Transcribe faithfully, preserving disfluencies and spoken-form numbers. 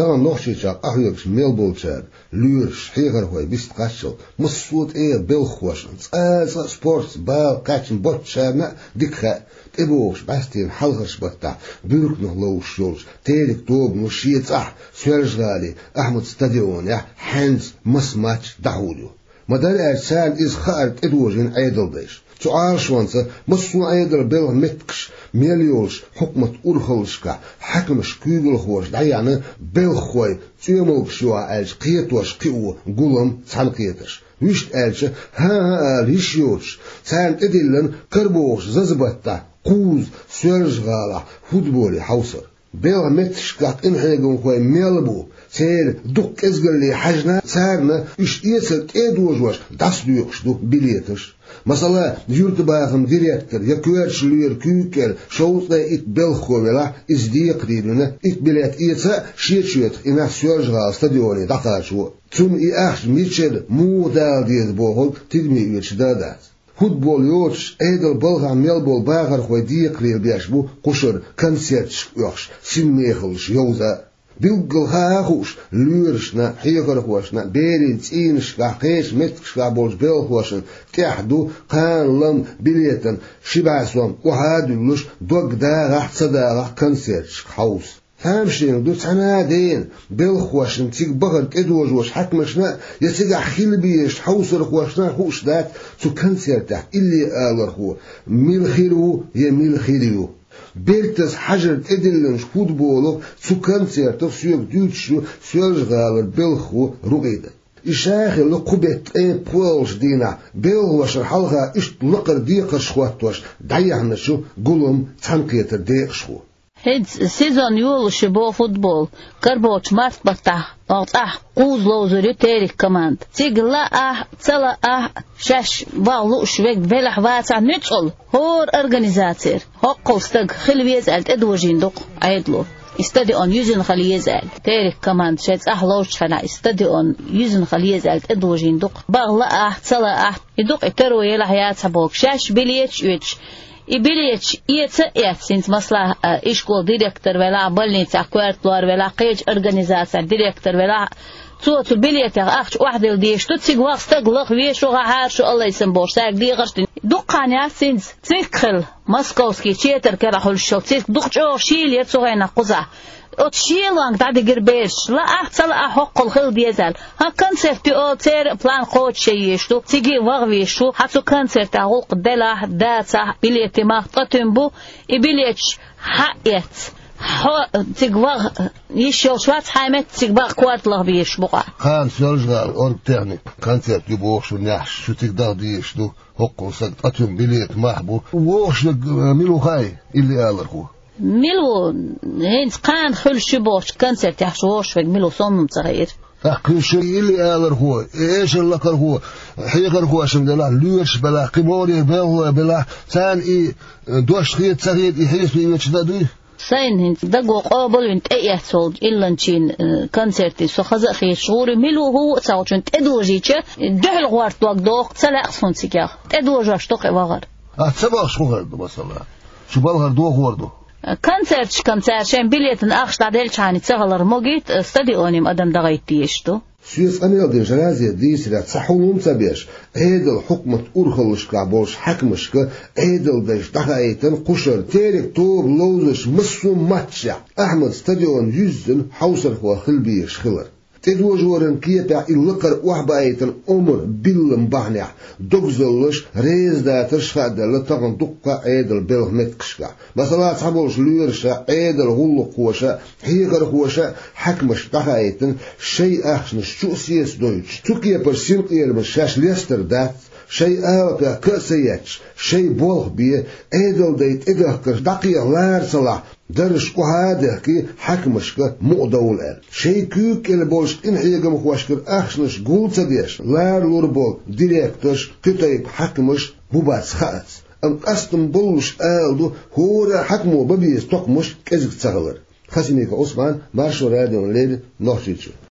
Тахана Нохчийчохь къахьоьгуш мел болчара, лоьраша, хьехархой вист кхаччалц, массо а тӀегӀа белхахошна, цкъа а спортаца бала кхаьчна боцчарна а дика хаьа, тӀебогӀучу бӀаьстенан хьалхарчу баттахь буьрканах ловзуш йолчу «Терек» тобано шен цӀахь Соьлжа-ГӀалин Ахьмад стадионехь хьаьнца маса матч дӀахьур ю. Ма-дарра аьлча, царна иза хаар тӀедожийна Ӏедалдайша. Цу Ӏалашонца массо а Ӏедалан белхан меттигаш мел йолчу хьукматан урхаллашкахь хьаькамаш, куьйгалхоша дӀаяьхьна белхахой, цӀоьмалгаш ю ахь аьлча кхетош, кхио гулам, цхьаьнакхетарш. Вуьшта аьлча, хӀан-хӀа ала йиш йоцуш, царна тӀедиллина карабогӀучу заза баттахь кхузза Соьлжа-ГӀалахь футболе хьовсар. Белхан меттигашкахь къинхьегамхой мел бу, церан дукха кӀезгалле хьаьжна, царна уьш эцар тӀедожош дӀасадоькъуш ду билеташ. Масала, юьртабахаман директор я коьртачу лоьран куьйга кӀел шовзткъе итт белхахо велахь, иза декхарийлина, итт билет эца а, шен чоьтах и нах Соьлжа-ГӀалин стадионе дӀакхачо а. Цунна и ахча мичара, муха дала деза бохург тидаме оьцуш дан а дац. Футбол йоцуш, Ӏедалан балхахь мел болу бахархой декхарийлабеш бу кхушара концерташка оьхуш, синмехаллаш йовза а. Билггал хаа а хууш, лоьрашна, хьехархошна, берийн цӀийнашкахь, кхечу меттигашкахь болчу белхахошна тӀехь ду кхана лам билетан ши бӀе сом охьа а дуьллуш, дог дагӀахь а, ца дагӀахь а концерташка хьовса. Тамашийна ду цхьана а дена, белхахошна, цига бахар тӀедожош хьаькамашна а, я цигахь хила безачу хьовсархошна а хууш дац цу концертехь илли алархо мила хир ву я мила хир ю. Бертаза хьажар тӀедиллинчу футболах, цу концертах соьга дуьйцуш ю Соьлжа-ГӀалара белхахо Рукъида. И ша а хилла кху беттан ткъе пхоьалгӀачу дийнахь, белхахошна хьалха иштта лакхара декхарш хӀоттош дӀаяьхьначу гулам, цхьаьнакхетаран декъашхо. ХӀинца сезон йолуш ю боху футбол, карабогӀучу март баттахь оха цӀахь кхузза ловзур ю «Терек» команда. Цига лаахь а, ца лаахь а, шаьш ваха лууш верг велахь, вацахь а, нуьцкъала хӀора организацера хӀоккхул стаг хила веза аьлла тӀедожийна ду-кх Ӏедало. И стадион юьзна хила еза аьлла, «Терек» команда шайн цӀахь ловзучу хенахь, и стадион юьзна хила еза аьлла тӀедожийна ду-кх. Баха лаахь а, ца лаахь а, и ду-кх и таро елахь а, яцахь а боху, шаьш билеташ оьцуш, и билеташ эца а эцна, хӀинца, масала, а, ишколан директор велахь а, больницехь коьрта лор велахь а, кхечу организацехь директор велахь а, цо цу билетех ахча охьадилла дезаш ду, цига ваха стаг лаха везаш ву, гӀахьара шу, Аллайсам бохуш, цаьрга дехарш дина. Дукха хан яц хӀинца цигахь хилла московский четверг карахь хуьлуш йолу цирк, дукха чӀогӀа шийлира цу хенахь кхузахь. Оцу шелонга дӀадигира бераш, лаахь а, ца лаахь а, хӀоккхул хила деза аьлла. ХӀан, концерт ю олу, церан план кхочуш еш ду, цига а ваха везаш ву. Хьан, цу концертехь гӀуллакх делахь а, дацахь а, билетийн мах ткъа туьма бу, и билеташ хьа а эцна, хьо цига ваха йиш йолуш вац, хьайн метта цига баха корта лаха безаш бу-кх ахь. Кхана Соьлжа-ГӀалин оргтехника концерт ю бохуш, шуна яхьаш, шу цига даха дезаш ду, хӀоккхул стаг ткъа туьма билетийн мах бу. ВогӀуш верг, э, мила ву хаьий, илли алархо? Мила ву, хӀинца кхана хуьлуш ю бохучу концертехь вогӀуш верг мила ву, сомнам ца хиира. ТӀаккха кхуьнан шен илли алархо, эшар лакхархо, хьехархошна делахь, лоьраш белахь, кхин могӀарера белхалой белахь, царна и, э, дош хета ца хета, и хьесапе оьцуш дан а дуй? Сайна хӀинца даго къобалвина тӀеэцна волчу илланчийн, э, концерте со хаза а хеташ гӀур ю, мила ву, хӀун ву а ца хууш, тӀедожийча, дуьхьал гӀорта дог доху, ца лаьа суна цигахь. ТӀедожош ду-кх и вахар. Ахь ца бохуш хӀун хир ду, масала? Шу балхара дохор ду? Концерташкахь цара шайн билетан ахча дӀаделчхьана ца хилар могийта, стадионе-м адам дахийта дезаш ду. Соьца къамел динчу Разита дийцарехь, цхьа хьулам а ца беш, Ӏедалан хьукматан урхаллашкахь болчу хьаькамашка Ӏедалдайша дӀахаийтина кхушара «Терек» тоба ловзучу массо а матчехь Ахьмад стадион юьззина хьовсархо хила безаш хилар. ТӀедожоран кепехь и лакхара охьабаийтина омра биллина бахьанехь догзаллаш, резадатарш хааделла тахана дуккха а Ӏедалан белхан меттигашкахь. Масала, цхьаболчу лоьраша, Ӏедалан гӀуллакххоша, хьехархоша хьаькамашка дӀахаийтина шайн ахчанаш чу а сецадойтуш, цу кепара синкъерамаш шаьш лестар дац, шайн алапех ка а ца етташ, шайн болх бе, Ӏедалдай тӀедахкарш дӀакхехьа лара ца лахь, дарраш охьа а дехкий, хьаькамашка мукъадовла аьлла. Шайн куьйга кӀел болчу къинхьегамхошкара ахчанаш гул ца деш, лара лур болу директорш, кхин тайпа хьаькамаш хӀун бац хаац. Амма къастам боллуш ала ду, хӀора а хьаькамо бан беза токхамаш кӀезиг ца хилар. Хасимиков Ӏусман, Маршо радиона леррина, Нохчийчоь.